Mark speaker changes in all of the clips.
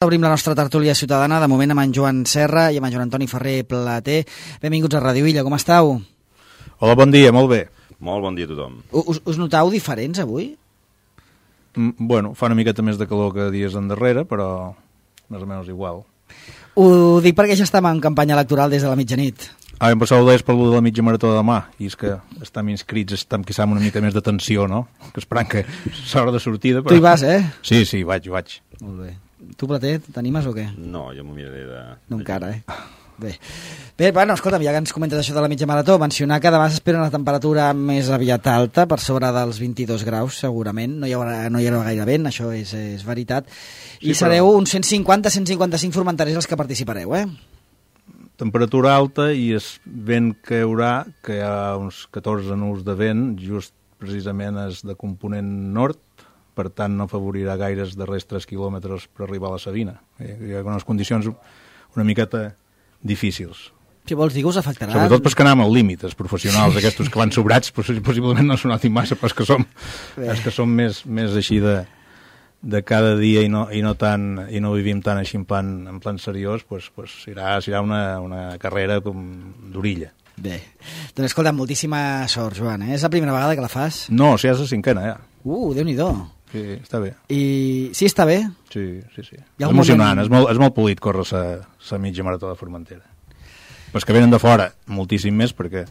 Speaker 1: Obrim la nostra tertúlia ciutadana, de moment amb en Joan Serra i amb en Joan Antoni Ferrer Plater. Benvinguts a Ràdio Illa, com estàu?
Speaker 2: Hola, bon dia, molt bé.
Speaker 3: Molt bon dia a tothom.
Speaker 1: Us notau diferents avui?
Speaker 2: Bueno, fa una miqueta més de calor que dies endarrere, però més o menys igual.
Speaker 1: Ho dic perquè ja estem en campanya electoral des de la mitjanit.
Speaker 2: Em passava d'és per lo de la mitja marató de demà, i és que estem inscrits, estem quizà amb una mica més de tensió, no? Que esperant que s'hora de sortida. Però...
Speaker 1: Tu hi vas, eh?
Speaker 2: Sí, vaig.
Speaker 1: Molt bé. Tu, Plater, t'animes o què?
Speaker 3: No, jo m'ho miraré de...
Speaker 1: No encara, eh? Bé, bueno, escolta'm, ja que ens comentes això de la mitja marató, mencionar que demà s'espera una temperatura més aviat alta, per sobre dels 22 graus, segurament. No hi haurà gaire vent, això és veritat. I sí, sereu uns 150-155 formentaris els que participareu, eh?
Speaker 2: Temperatura alta i és vent que hi haurà, que hi ha uns 14 nusos de vent, just precisament és de component nord, per tant no afavorirà gaires darrers 3 quilòmetres per arribar a la Sabina. Hi ha unes condicions una miqueta difícils.
Speaker 1: Si vols dir que us afectarà...
Speaker 2: Sobretot pels que anem al límit, els professionals, aquests que van sobrats, possiblement no s'ho notin massa, però els que som més així de cada dia i no vivim tant així en plan seriós, pues serà una carrera d'orilla.
Speaker 1: Bé, doncs escolta, moltíssima sort, Joan, eh? És la primera vegada que la fas?
Speaker 2: No, si és la cinquena, ja.
Speaker 1: Déu-n'hi-do.
Speaker 2: Sí, està bé.
Speaker 1: I sí, està bé?
Speaker 2: Sí. És emocionant, és molt polit córrer la mitja marató de Formentera. Però que venen de fora, moltíssim més, perquè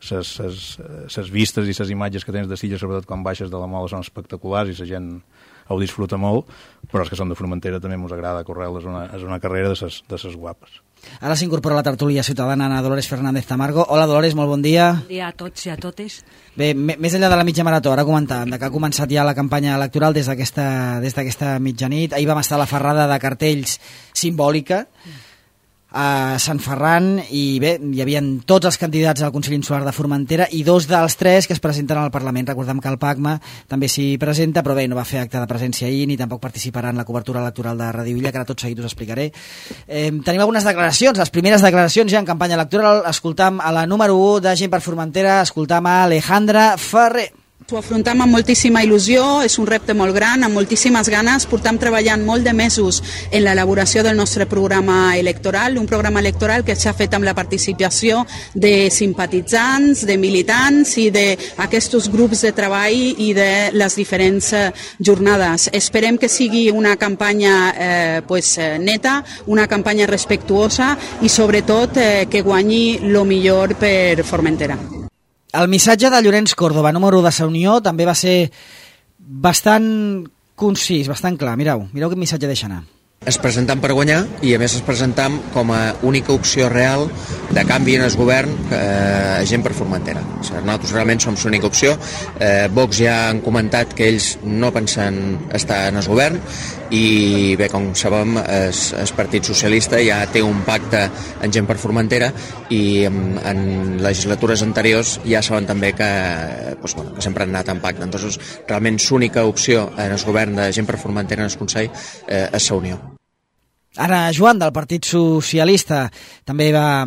Speaker 2: les vistes i les imatges que tens de Silla, sobretot quan baixes de la Mola, són espectaculars i la gent ho disfruta molt, però els que són de Formentera també ens agrada córrer-la, és una carrera de ses guapes.
Speaker 1: Ara s'incorpora a la tertúlia ciutadana Ana Dolores Fernández Tamargo. Hola, Dolores, molt bon dia.
Speaker 4: Bon dia a tots i a totes.
Speaker 1: Bé, més enllà de la mitja marató, ara comentàvem que ha començat ja la campanya electoral des d'aquesta mitjanit. Ahir vam estar a la ferrada de cartells simbòlica a Sant Ferran i bé, hi havia tots els candidats al Consell Insular de Formentera i 2 dels 3 que es presenten al Parlament. Recordem que el PACMA també s'hi presenta, però bé, no va fer acte de presència ahir ni tampoc participarà en la cobertura electoral de Ràdio Illa, que ara tot seguit us explicaré. Tenim algunes declaracions, les primeres declaracions ja en campanya electoral. Escoltam a la número 1 de Gent per Formentera, escoltam a Alejandra Ferrer.
Speaker 5: Ho afrontem amb moltíssima il·lusió, és un repte molt gran, amb moltíssimes ganes. Portem treballant molt de mesos en l'elaboració del nostre programa electoral, un programa electoral que s'ha fet amb la participació de simpatitzants, de militants i d'aquests grups de treball i de les diferents jornades. Esperem que sigui una campanya neta, una campanya respectuosa i sobretot que guanyi el millor per Formentera.
Speaker 1: El missatge de Llorenç Córdoba, número 1 de la Unió, també va ser bastant concís, bastant clar. Mireu quin missatge deixa anar.
Speaker 6: Es presentam per guanyar i a més es presentam com a única opció real de canvi en el govern Gent per Formentera. O sigui, nosaltres realment som l'única opció. Vox ja han comentat que ells no pensen estar en el govern i bé, com sabem, el Partit Socialista ja té un pacte en Gent per Formentera i en legislatures anteriors ja saben també que sempre han anat en pacte. Entonces, realment l'única opció en el govern de Gent per Formentera en el Consell és la Unió.
Speaker 1: Ara Joan, del Partit Socialista, també va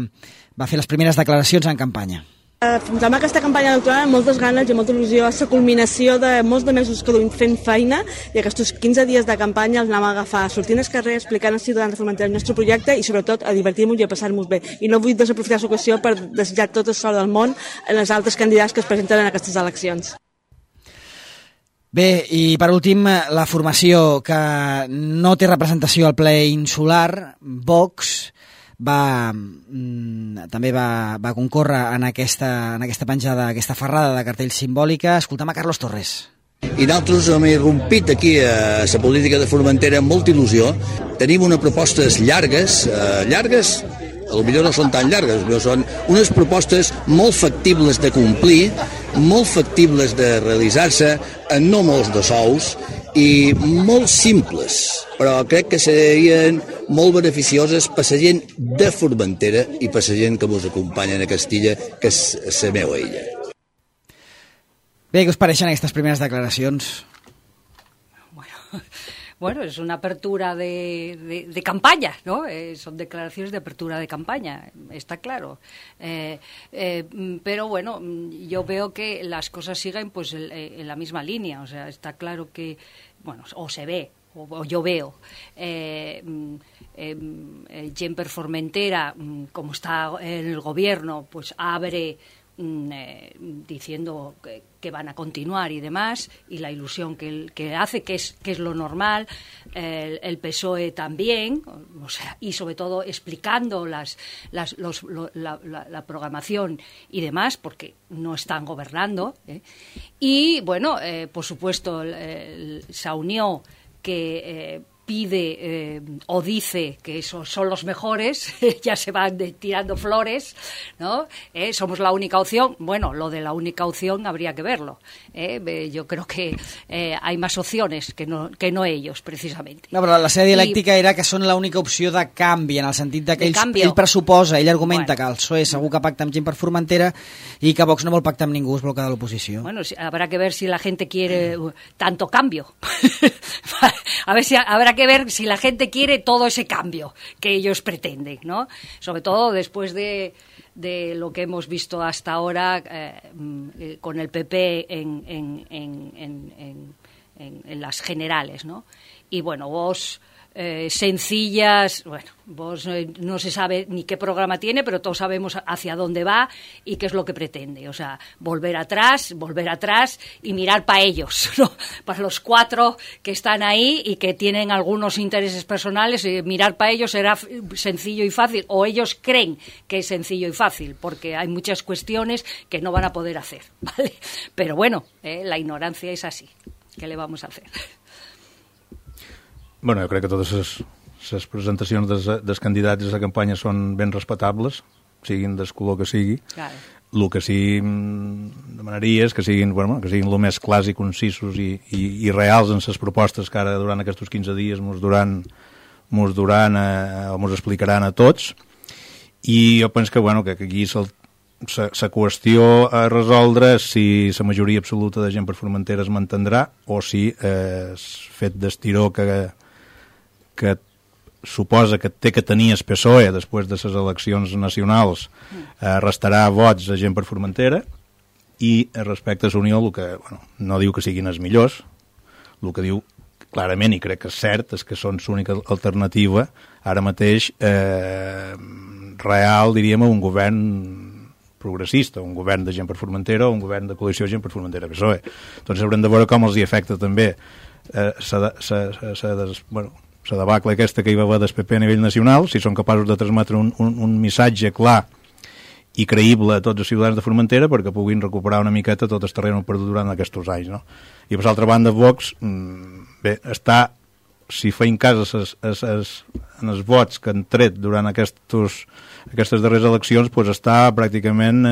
Speaker 1: fer les primeres declaracions en campanya.
Speaker 7: Afrontem aquesta campanya electoral amb moltes ganes i molta il·lusió. És la culminació de molts de mesos que duim fent feina i aquests 15 dies de campanya els anem a agafar sortint al carrer, explicant als ciutadans de Formentera el nostre projecte i sobretot a divertir-nos i a passar-nos bé. I no vull desaprofitar l'ocasió per desitjar tot el sort del món en els altres candidats que es presenten en aquestes eleccions.
Speaker 1: Bé, i per últim, la formació que no té representació al ple insular, Vox, també va concórrer en aquesta penjada, aquesta ferrada de cartells simbòlica. Escoltem a Carlos Torres.
Speaker 8: I nosaltres hem irrompit aquí a la política de Formentera amb molta il·lusió. Tenim unes propostes llargues, potser no són tan llargues, però són unes propostes molt factibles de complir, molt factibles de realitzar-se, en no molts de sous, i molt simples, però crec que serien molt beneficioses per la gent de Formentera i per la gent que ens acompanya a Castilla, que és la meva illa.
Speaker 1: Bé, què us pareixen aquestes primeres declaracions?
Speaker 4: Bueno, es una apertura de campaña, ¿no? Son declaraciones de apertura de campaña, está claro. Pero bueno, yo veo que las cosas siguen pues en la misma línea. O sea, está claro que, bueno, o se ve o yo veo, Gent per Formentera, como está en el gobierno, pues abre diciendo que van a continuar y demás, y la ilusión que hace, que es lo normal, el PSOE también, o sea, y sobre todo explicando la programación y demás, porque no están gobernando, y bueno, por supuesto, Saunió, que pide o dice que esos son los mejores, ya se van tirando flores, ¿no? Somos la única opción. Bueno, lo de la única opción habría que verlo. Yo creo que hay más opciones que no ellos, precisamente.
Speaker 1: No, però la seva dialèctica era que són l'única opció de canvi, en el sentit que ell pressuposa, ell argumenta que el PSOE segur que pacta amb Gent per Formentera i que Vox no vol pactar amb ningú, es bloca de l'oposició.
Speaker 4: Bueno, habrá que ver si la gente quiere tanto cambio. A ver si habrá que ver si la gente quiere todo ese cambio que ellos pretenden, ¿no? Sobre todo después de lo que hemos visto hasta ahora con el PP en las generales, ¿no? Y bueno, vos sencillas, bueno, vos no se sabe ni qué programa tiene, pero todos sabemos hacia dónde va y qué es lo que pretende. O sea, volver atrás y mirar para ellos, ¿no? Para los 4 que están ahí y que tienen algunos intereses personales, mirar para ellos será sencillo y fácil, o ellos creen que es sencillo y fácil, porque hay muchas cuestiones que no van a poder hacer, ¿vale? Pero bueno, la ignorancia es así. ¿Qué le vamos a hacer?
Speaker 2: Bueno, jo crec que totes les presentacions dels candidats a la campanya són ben respectables, siguin del color que sigui.
Speaker 4: Claro.
Speaker 2: El que sí demanaria és que siguin el més clars i concisos i reals en les propostes que ara durant aquests 15 dies mos explicaran a tots. I jo penso que aquí la qüestió a resoldre és si la majoria absoluta de Gent per Formentera es mantindrà o si el fet d'estiró que suposa que té que tenir el PSOE després de les eleccions nacionals restarà vots a Gent per Formentera, i respecte a Unió no diu que siguin els millors, el que diu clarament, i crec que és cert, és que són l'única alternativa ara mateix real, diríem, a un govern progressista, un govern de Gent per Formentera o un govern de coalició Gent per Formentera-PSOE. Doncs haurem de veure com els hi afecta també la debacle aquesta que hi va haver del PP a nivell nacional, si són capaços de transmetre un missatge clar i creïble a tots els ciutadans de Formentera perquè puguin recuperar una miqueta tot el terreny perdut durant aquests anys, no? I per l'altra banda, Vox si feim cas en els vots que han tret durant aquestes darreres eleccions, doncs està pràcticament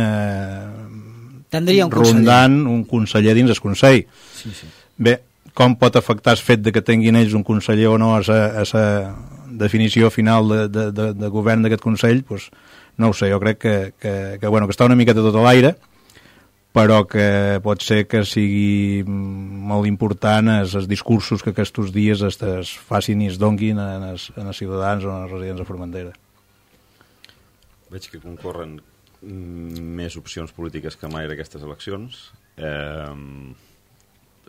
Speaker 2: rondant un conseller dins el Consell.
Speaker 1: Sí.
Speaker 2: Bé, com pot afectar el fet de que tinguin ells un conseller o no a la definició final de govern d'aquest Consell? Doncs no ho sé, jo crec que està una miqueta tot a l'aire, però que pot ser que sigui molt important els discursos que aquests dies es facin i es donguin als ciutadans o als residents de Formentera.
Speaker 3: Veig que concorren més opcions polítiques que mai en aquestes eleccions.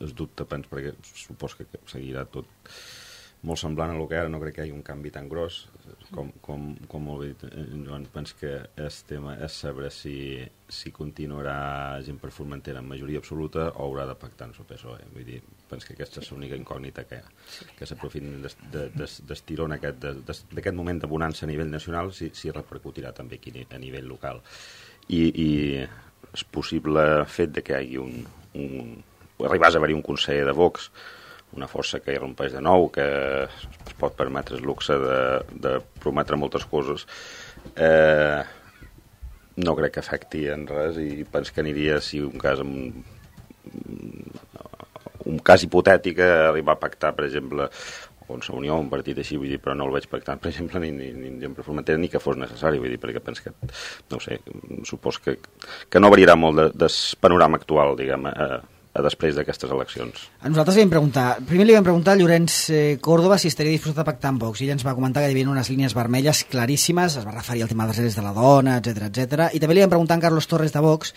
Speaker 3: Es dubte, perquè supos que seguirà tot molt semblant a el que ara, no crec que hi hagi un canvi tan gros com molt bé Joan. Penso que el tema és saber si continuarà Gent per Formentera en majoria absoluta o haurà de pactar amb el PSOE. Vull dir, penso que aquesta és l'única incògnita que hi ha, que s'aprofitin d'estirón d'aquest moment de bonança a nivell nacional, si repercutirà també aquí a nivell local. I és possible fet de que hi hagi arribàs a haver-hi un conseller de Vox, una força que irrompeix de nou, que es pot permetre el luxe de prometre moltes coses, no crec que afecti en res, i penso que aniria, si un cas hipotètic, a arribar a pactar, per exemple, o en la Unió, un partit així, vull dir, però no el veig pactant, per exemple, ni Gent per Formentera, ni que fos necessari, vull dir, perquè penso que, no sé, supos que no variarà molt del panorama actual, diguem, després d'aquestes eleccions.
Speaker 1: A nosaltres li vam preguntar a Llorenç Córdoba si estaria disposat a pactar amb Vox, i ell ens va comentar que hi havia unes línies vermelles claríssimes, es va referir al tema dels drets de la dona, etc. I també li vam preguntar a Carlos Torres de Vox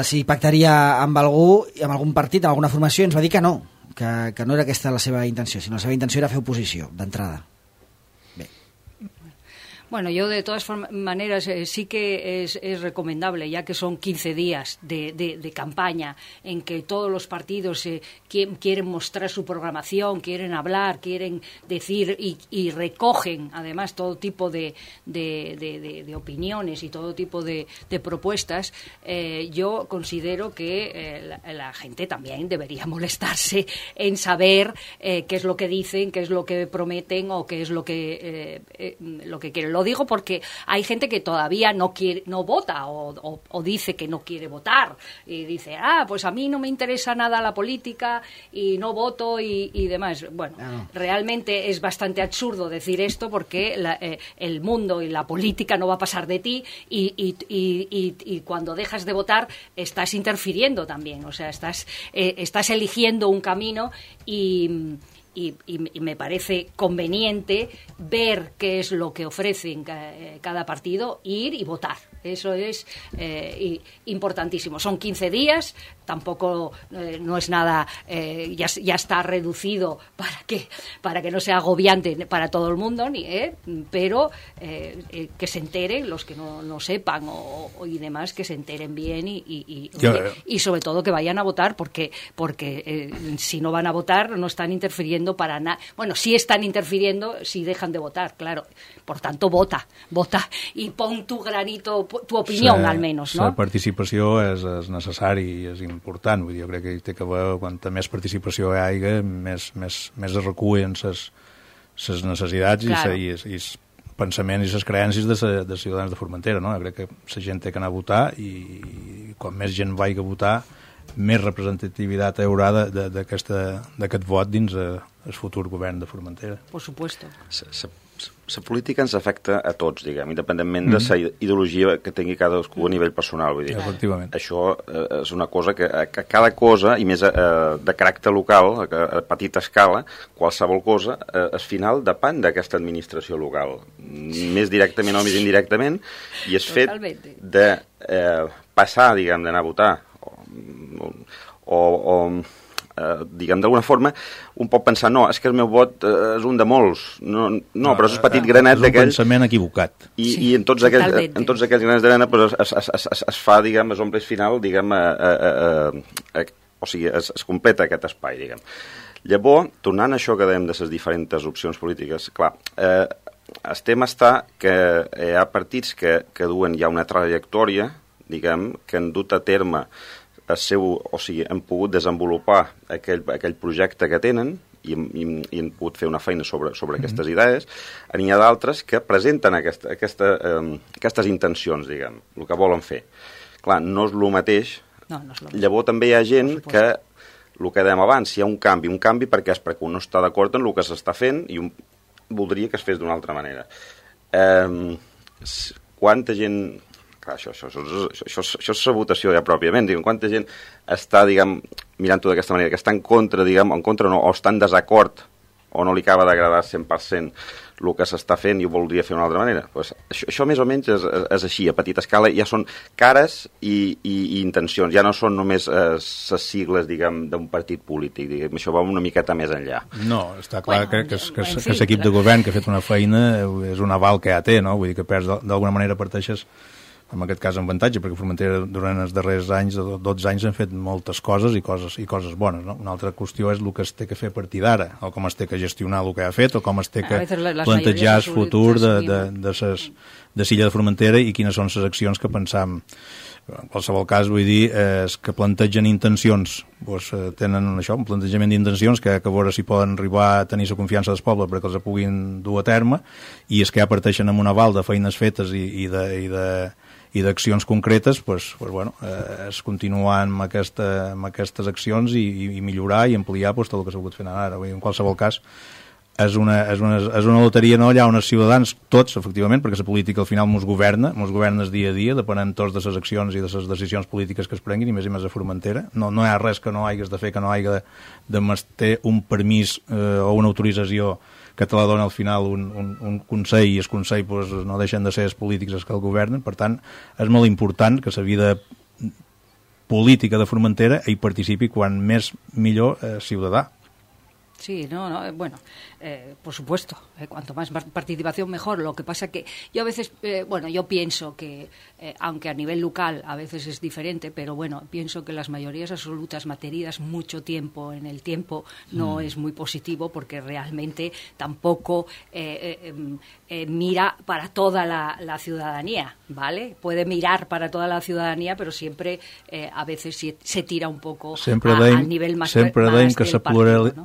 Speaker 1: si pactaria amb algú, amb algun partit, amb alguna formació, i ens va dir que no, que no era aquesta la seva intenció, sinó la seva intenció era fer oposició, d'entrada.
Speaker 4: Bueno, yo de todas maneras sí que es recomendable, ya que son 15 días de campaña en que todos los partidos quieren mostrar su programación, quieren hablar, quieren decir y recogen además todo tipo de opiniones y todo tipo de propuestas. Yo considero que la gente también debería molestarse en saber qué es lo que dicen, qué es lo que prometen o qué es lo que quieren. Lo digo porque hay gente que todavía no vota o dice que no quiere votar y dice, pues a mí no me interesa nada la política y no voto y demás. Bueno, realmente es bastante absurdo decir esto porque el mundo y la política no va a pasar de ti y cuando dejas de votar estás interfiriendo también, o sea, estás eligiendo un camino y me parece conveniente ver qué es lo que ofrecen cada partido, ir y votar. Eso es importantísimo. Son 15 días, tampoco no es nada, ya está reducido para que no sea agobiante para todo el mundo, pero que se enteren los que no sepan y demás, que se enteren bien y sobre todo que vayan a votar porque si no van a votar no están interfiriendo para nada. Bueno, sí están interfiriendo si dejan de votar, claro. Por tanto, vota i pon tu granito, tu opinió, almenys, no?
Speaker 2: La participació és necessari i és important. Vull dir, jo crec que té que haver, quanta més participació hi hagi, més es recullen les necessitats i els pensaments i les creences de ciutadans de Formentera, no? Jo crec que la gent té que anar a votar i quan més gent vagi a votar, més representativitat hi haurà d'aquest vot dins el futur govern de Formentera.
Speaker 4: Por supuesto.
Speaker 3: La política ens afecta a tots, diguem, independentment de la ideologia que tingui cadascú a nivell personal. Vull dir.
Speaker 2: Efectivament.
Speaker 3: Això és una cosa que cada cosa, i més de caràcter local, a petita escala, qualsevol cosa, al final depèn d'aquesta administració local. Més directament o més indirectament, i és fet de passar, diguem, d'anar a votar, o diguem, d'alguna forma, un pot pensar, no, és que el meu vot és un de molts. No, però és un petit granet d'aquell...
Speaker 2: És un pensament equivocat.
Speaker 3: I en tots aquells granets d'arena es fa, diguem, es omple final, diguem, o sigui, es completa aquest espai, diguem. Llavors, tornant a això que dèiem de les diferents opcions polítiques, clar, el tema està que hi ha partits que duen ja una trajectòria, diguem, que han dut a terme han pogut desenvolupar aquell projecte que tenen i han pogut fer una feina sobre aquestes idees. N'hi ha d'altres que presenten aquestes intencions, diguem, el que volen fer. Clar, no és el mateix. Llavors també hi ha gent que, el que dèiem abans, hi ha un canvi perquè no està d'acord en el que s'està fent i voldria que es fes d'una altra manera. Quanta gent... Clar, això és la votació ja pròpiament. Quanta gent està, diguem, mirant-ho d'aquesta manera, que està en contra, diguem, o està en desacord, o no li acaba d'agradar 100% el que s'està fent i ho voldria fer d'una altra manera. Pues això més o menys és així, a petita escala, ja són cares i intencions, ja no són només les sigles, diguem, d'un partit polític, diguem, això va una miqueta més enllà.
Speaker 2: No, està clar, crec que l'equip de govern que ha fet una feina és un aval que ja té, no? Vull dir que perds d'alguna manera parteixes en aquest cas en avantatge, perquè Formentera durant els darrers anys, 12 anys, han fet moltes coses i coses bones. No? Una altra qüestió és el que es té que fer a partir d'ara, o com es té que gestionar el que ha fet, o com es té que plantejar el futur de l'illa de Formentera i quines són les accions que pensam. En qualsevol cas, vull dir, és que plantegen intencions, doncs, tenen això, un plantejament d'intencions que a veure si poden arribar a tenir la confiança del poble perquè els puguin dur a terme, i és que ja parteixen amb un aval de feines fetes i d'accions concretes, es continuar amb aquestes accions i millorar i ampliar tot el que s'ha pogut fer ara. En qualsevol cas, és una loteria allà on els ciutadans, tots, efectivament, perquè la política al final mos governa dia a dia, depenent tots de les accions i de les decisions polítiques que es prenguin, i més a Formentera. No hi ha res que no hagués de fer, que no hagi de ter un permís o una autorització que te la dona al final un Consell, i el Consell no deixen de ser els polítics els que el governen. Per tant, és molt important que la vida política de Formentera hi participi quan més millor ciutadà,
Speaker 4: Sí, bueno, por supuesto, cuanto más participación mejor. Lo que pasa que yo a veces, yo pienso que, aunque a nivel local a veces es diferente, pero bueno, pienso que las mayorías absolutas mantenidas mucho tiempo en el tiempo no es muy positivo, porque realmente tampoco mira para toda la ciudadanía, ¿vale? Puede mirar para toda la ciudadanía, però sempre a veces se tira un poco al nivell més
Speaker 2: sempre deim que la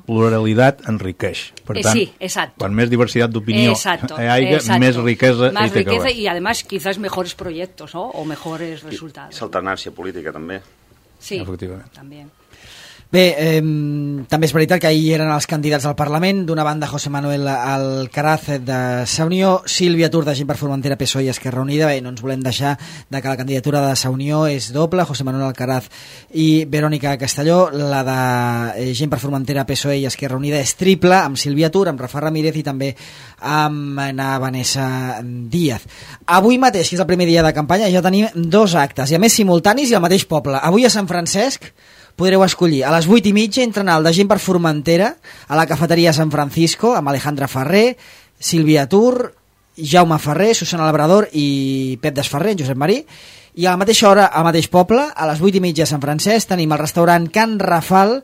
Speaker 2: pluralitat enriqueix. Per tant,
Speaker 4: sí, exacto.
Speaker 2: Quan més diversitat d'opinió hi hagi, més riquesa
Speaker 4: más riqueza y además quizás mejores proyectos, ¿no? O mejores resultados.
Speaker 3: És alternància política també.
Speaker 4: Sí,
Speaker 2: efectivament.
Speaker 4: També.
Speaker 1: Bé, també és veritat que ahir eren els candidats al Parlament. D'una banda, José Manuel Alcaraz de Sa Unió, Sílvia Tur de Gent per Formentera, PSOE i Esquerra Unida. Bé, no ens volem deixar de que la candidatura de Sa Unió és doble, José Manuel Alcaraz i Verònica Castelló. La de Gent per Formentera, PSOE i Esquerra Unida és triple, amb Sílvia Tur, amb Rafa Ramírez i també amb Vanessa Díaz. Avui mateix, que és el primer dia de campanya, ja tenim 2 actes, i a més simultanis i al mateix poble. Avui a Sant Francesc podreu escollir. A les 8:30 entra el de Gent per Formentera a la cafeteria San Francisco amb Alejandra Ferrer, Sílvia Tur, Jaume Ferrer, Susana Labrador i Pep Desferrer, Josep Marí. I a la mateixa hora, al mateix poble, a les 8:30 a Sant Francesc, tenim el restaurant Can Rafal,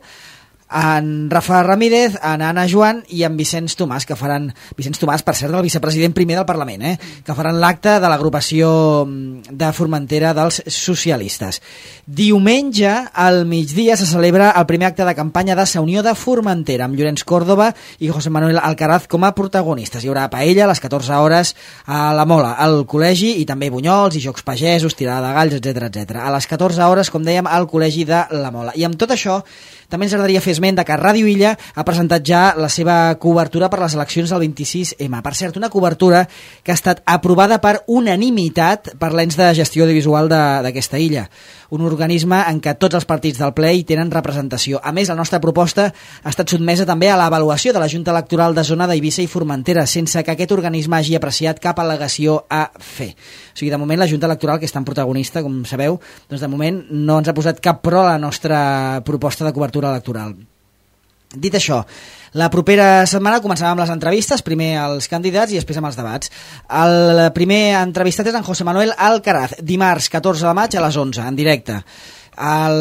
Speaker 1: en Rafa Ramírez, en Anna Joan i en Vicenç Tomàs, que faran... Vicenç Tomàs, per cert, el vicepresident primer del Parlament, que faran l'acte de l'agrupació de Formentera dels socialistes. Diumenge, al migdia, se celebra el primer acte de campanya de Sa Unió de Formentera, amb Llorenç Córdoba i José Manuel Alcaraz com a protagonistes. Hi haurà paella a les 14 hores a la Mola, al col·legi, i també bunyols i jocs pagesos, tirada de galls, etc. A les 14 hores, com dèiem, al col·legi de la Mola. I amb tot això, també ens agradaria fer esment de que Ràdio Illa ha presentat ja la seva cobertura per les eleccions del 26M. Per cert, una cobertura que ha estat aprovada per unanimitat per l'ens de gestió audiovisual d'aquesta illa, un organisme en què tots els partits del ple hi tenen representació. A més, la nostra proposta ha estat sotmesa també a l'avaluació de la Junta Electoral de Zona d'Eivissa i Formentera, sense que aquest organisme hagi apreciat cap al·legació a fer. O sigui, de moment, la Junta Electoral, que és tan protagonista, com sabeu, doncs de moment no ens ha posat cap pro a la nostra proposta de cobertura electoral. Dit això, la propera setmana començarem amb les entrevistes, primer als candidats i després amb els debats. El primer entrevistat és en José Manuel Alcaraz, dimarts 14 de maig a les 11, en directe. El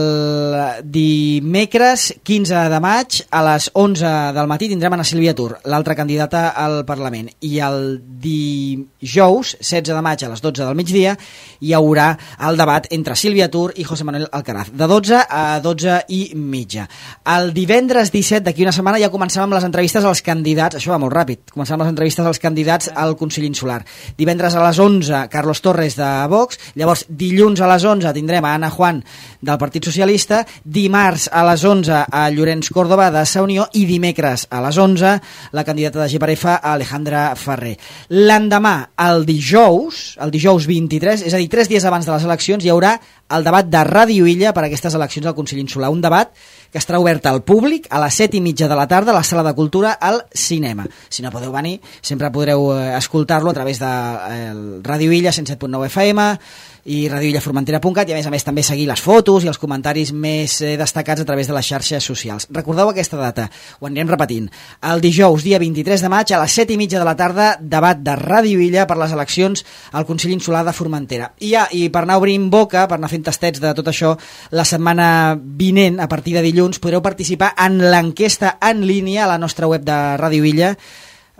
Speaker 1: dimecres 15 de maig a les 11 del matí tindrem a Sílvia Tur, l'altra candidata al Parlament, i el dijous 16 de maig a les 12 del migdia hi haurà el debat entre Sílvia Tur i José Manuel Alcaraz, de 12 a 12 i mitja. El divendres 17 d'aquí una setmana ja començàvem amb les entrevistes als candidats, això va molt ràpid, començàvem les entrevistes als candidats al Consell Insular. Divendres a les 11 Carlos Torres de Vox, llavors dilluns a les 11 tindrem a Ana Juan del Partit Socialista, dimarts a les 11 a Llorenç Córdoba de Sa Unió i dimecres a les 11 la candidata de GPRF a Alejandra Ferrer. L'endemà, el dijous 23, és a dir, 3 dies abans de les eleccions, hi haurà el debat de Ràdio Illa per a aquestes eleccions al Consell Insular, un debat que estarà obert al públic a les 7:30 de la tarda a la Sala de Cultura al cinema. Si no podeu venir, sempre podreu escoltar-lo a través de Ràdio Illa 107.9 FM i radioillaformentera.cat, i a més també seguir les fotos i els comentaris més destacats a través de les xarxes socials. Recordeu aquesta data, ho anirem repetint. El dijous, dia 23 de maig, a les 7:30 de la tarda, debat de Ràdio Illa per les eleccions al Consell Insular de Formentera. I per anar obrint boca, per anar fent tastets de tot això, la setmana vinent, a partir de dilluns, podreu participar en l'enquesta en línia a la nostra web de Ràdio Illa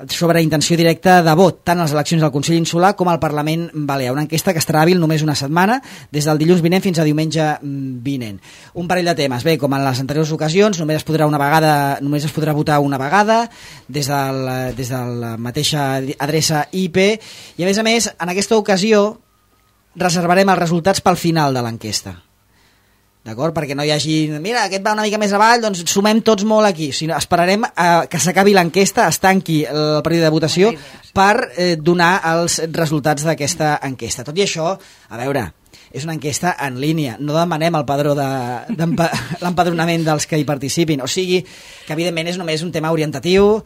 Speaker 1: sobre intenció directa de vot, tant a les eleccions del Consell Insular com al Parlament Balear. Una enquesta que estarà hàbil només una setmana, des del dilluns vinent fins a diumenge vinent. Un parell de temes. Bé, com en les anteriors ocasions, només es podrà votar una vegada des de la mateixa adreça IP, i a més, en aquesta ocasió reservarem els resultats pel final de l'enquesta. D'acord? Perquè no hi hagi... Mira, aquest va una mica més avall, doncs sumem tots molt aquí. Si no, esperarem que s'acabi l'enquesta, es tanqui el període de votació per donar els resultats d'aquesta enquesta. Tot i això, a veure, és una enquesta en línia. No demanem el padró l'empadronament dels que hi participin. O sigui, que evidentment és només un tema orientatiu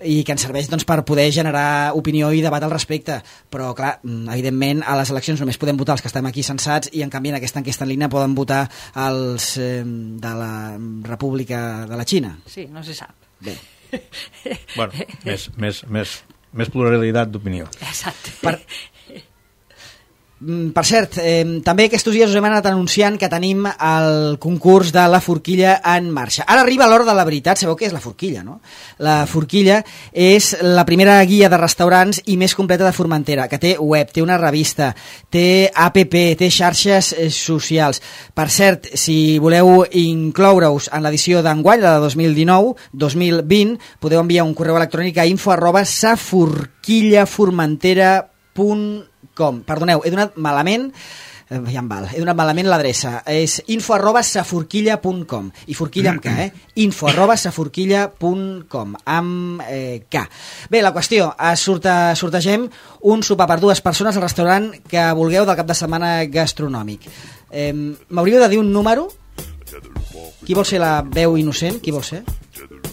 Speaker 1: i que ens serveix per poder generar opinió i debat al respecte, però clar, evidentment a les eleccions només podem votar els que estem aquí censats, i en canvi en aquesta enquesta en línia poden votar els de la República de la Xina.
Speaker 4: Sí, no se sap.
Speaker 1: Bé.
Speaker 2: Bueno, més pluralitat d'opinió.
Speaker 4: Exacte.
Speaker 1: Per cert, també aquests dies us hem anat anunciant que tenim el concurs de la forquilla en marxa. Ara arriba l'hora de la veritat. Sabeu què és la forquilla, no? La forquilla és la primera guia de restaurants i més completa de Formentera, que té web, té una revista, té app, té xarxes socials. Per cert, si voleu incloure-us en l'edició d'enguany, la de 2019-2020, podeu enviar un correu electrònic a info@saforquillaformentera.com. Perdoneu, he donat malament l'adreça. És info@saforquilla.com i forquilla amb K, info@saforquilla.com amb K. Bé, la qüestió, sortegem un sopar per 2 persones al restaurant que vulgueu del cap de setmana gastronòmic. M'hauríeu de dir un número? Qui vol ser la veu innocent? Qui vol ser?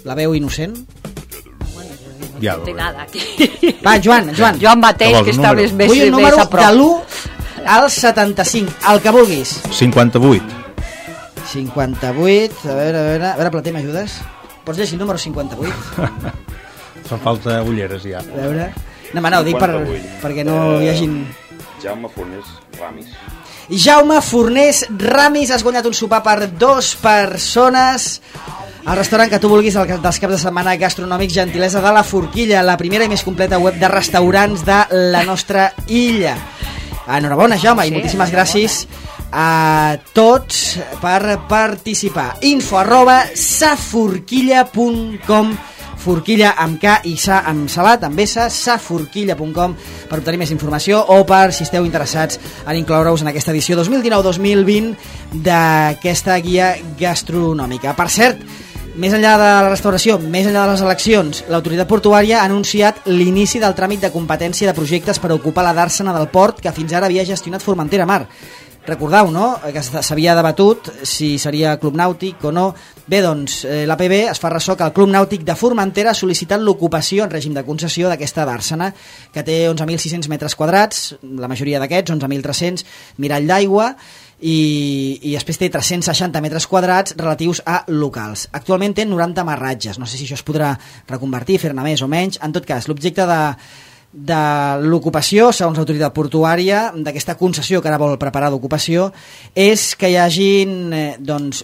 Speaker 1: La veu innocent?
Speaker 4: Ja, no té nada aquí.
Speaker 1: Va, Joan.
Speaker 4: Joan mateix, que està més a prop.
Speaker 1: Vull un número de l'1 al 75, el que vulguis.
Speaker 2: 58.
Speaker 1: 58, a veure, Plater, m'ajudes? Pots llegir el número 58?
Speaker 2: Fan falta ulleres, ja.
Speaker 1: A veure... No, ho dic perquè no hi hagin...
Speaker 3: Jaume Fornés Ramis.
Speaker 1: Jaume Fornés Ramis, has guanyat un sopar per 2 persones al restaurant que tu vulguis dels caps de setmana gastronòmics, gentilesa de la Forquilla, la primera i més completa web de restaurants de la nostra illa. Enhorabona, Jaume, i moltíssimes gràcies a tots per participar. info@saforquilla.com, forquilla amb K i sa amb salat, amb S, saforquilla.com, per obtenir més informació o per, si esteu interessats, en incloure-us en aquesta edició 2019-2020 d'aquesta guia gastronòmica. Per cert, més enllà de la restauració, més enllà de les eleccions, l'autoritat portuària ha anunciat l'inici del tràmit de competència de projectes per ocupar la dàrsena del port que fins ara havia gestionat Formentera Mar. Recordeu, no?, que s'havia debatut si seria club nàutic o no. Bé, doncs, l'APB es fa ressò que el Club Nàutic de Formentera ha sol·licitat l'ocupació en règim de concessió d'aquesta dàrsena, que té 11.600 metres quadrats, la majoria d'aquests, 11.300, mirall d'aigua, i després té 360 metres quadrats relatius a locals. Actualment té 90 amarratges, no sé si això es podrà reconvertir, fer-ne més o menys. En tot cas, l'objecte de l'ocupació, segons l'autoritat portuària, d'aquesta concessió que ara vol preparar d'ocupació, és que hi hagin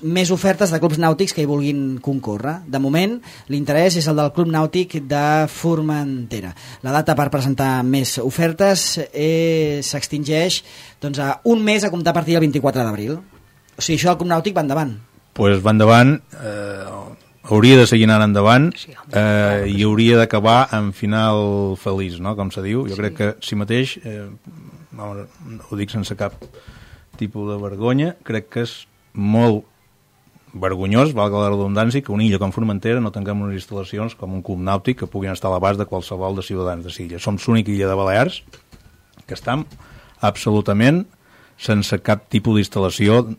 Speaker 1: més ofertes de clubs nàutics que hi vulguin concórrer. De moment, l'interès és el del Club Nàutic de Formentera. La data per presentar més ofertes s'extingeix a un mes a comptar a partir del 24 d'abril. O sigui, això del Club Nàutic va endavant.
Speaker 2: Pues va endavant, hauria de seguir anant endavant, i hauria d'acabar en final feliç, no?, com se diu. Jo crec que si mateix, ho dic sense cap tipus de vergonya, crec que és molt vergonyós, valga la redundància, que una illa com Formentera no tinguem unes instal·lacions com un club nàutic que puguin estar a l'abast de qualsevol de ciutadans de l'illa. Som l'única illa de Balears que estem absolutament sense cap tipus d'instal·lació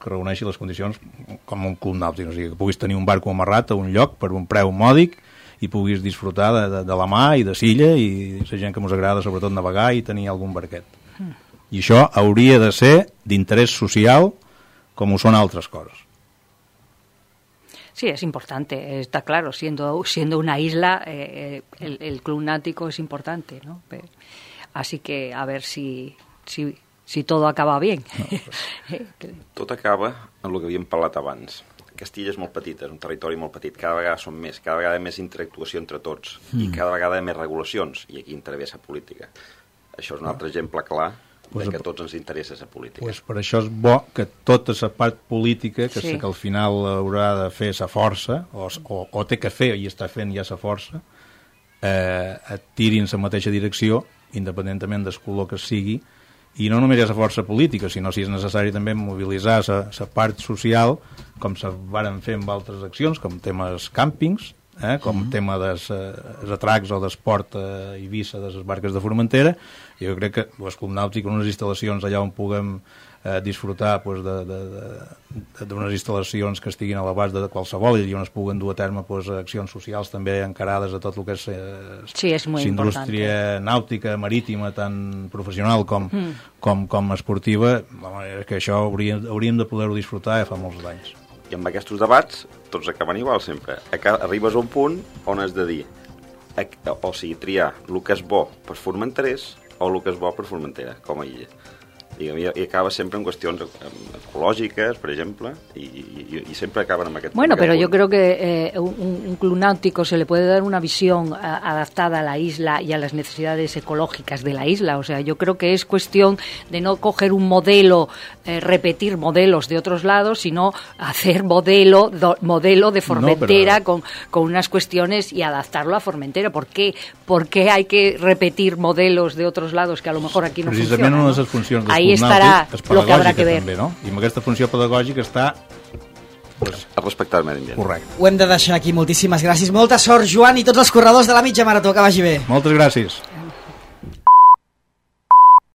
Speaker 2: que reuneixi les condicions com un club nàutic, o sigui, que puguis tenir un barco amarrat a un lloc per un preu mòdic i puguis disfrutar de la mà i de l'illa i la gent que ens agrada sobretot navegar i tenir algun barquet. I això hauria de ser d'interès social com ho són altres coses.
Speaker 4: Sí, es importante, está claro, siendo una isla, el club náutico es importante, ¿no? Así que a ver si todo acaba bien.
Speaker 3: Tot acaba en el que havíem parlat abans. Castilla és molt petita, és un territori molt petit, cada vegada som més, cada vegada hi ha més interactuació entre tots i cada vegada hi ha més regulacions, i aquí intervé la política. Això és un altre exemple clar de que a tots ens interessa la política.
Speaker 2: Pues per això és bo que tota la part política, que sé que al final haurà de fer la força, o té que fer i està fent ja la força, tirin la mateixa direcció, independentment del color que sigui, i no només hi ha la força política, sinó si és necessari també mobilitzar la part social, com se varen fer amb altres accions, com temes càmpings, com tema dels atracs o d'esport a Eivissa de les barques de Formentera. Jo crec que el Club Nàutic, unes instal·lacions allà on puguem disfrutar d'unes instal·lacions que estiguin a l'abast de qualsevol i on es puguen dur a terme accions socials també encarades a tot el que és indústria nàutica, marítima, tan professional com esportiva, que això hauríem de poder-ho disfrutar fa molts anys.
Speaker 3: I amb aquests debats tots acaben igual sempre. Arribes a un punt on has de dir, o sigui, triar el que és bo per Formenterers o el que és bo per Formentera, com a illa. I acaba sempre en qüestions ecològiques, per exemple, y siempre acaban en aquest...
Speaker 4: Bueno, pero yo creo que un club náutico se le puede dar una visión adaptada a la isla y a las necesidades ecológicas de la isla. O sea, yo creo que es cuestión de no coger un modelo, repetir modelos de otros lados, sino hacer modelo de Formentera con unas cuestiones y adaptarlo a Formentera. ¿Por qué hay que repetir modelos de otros lados que a lo mejor aquí no funcionan?
Speaker 2: Precisament una de les funcions del
Speaker 4: Ahí estarà lo que habrá que ver.
Speaker 2: També, no? I amb aquesta funció pedagògica està...
Speaker 3: A respectar el medi ambient.
Speaker 2: Correcte.
Speaker 1: Ho hem de deixar aquí. Moltíssimes gràcies. Molta sort, Joan, i tots els corredors de la mitja marató. Que vagi bé.
Speaker 2: Moltes gràcies.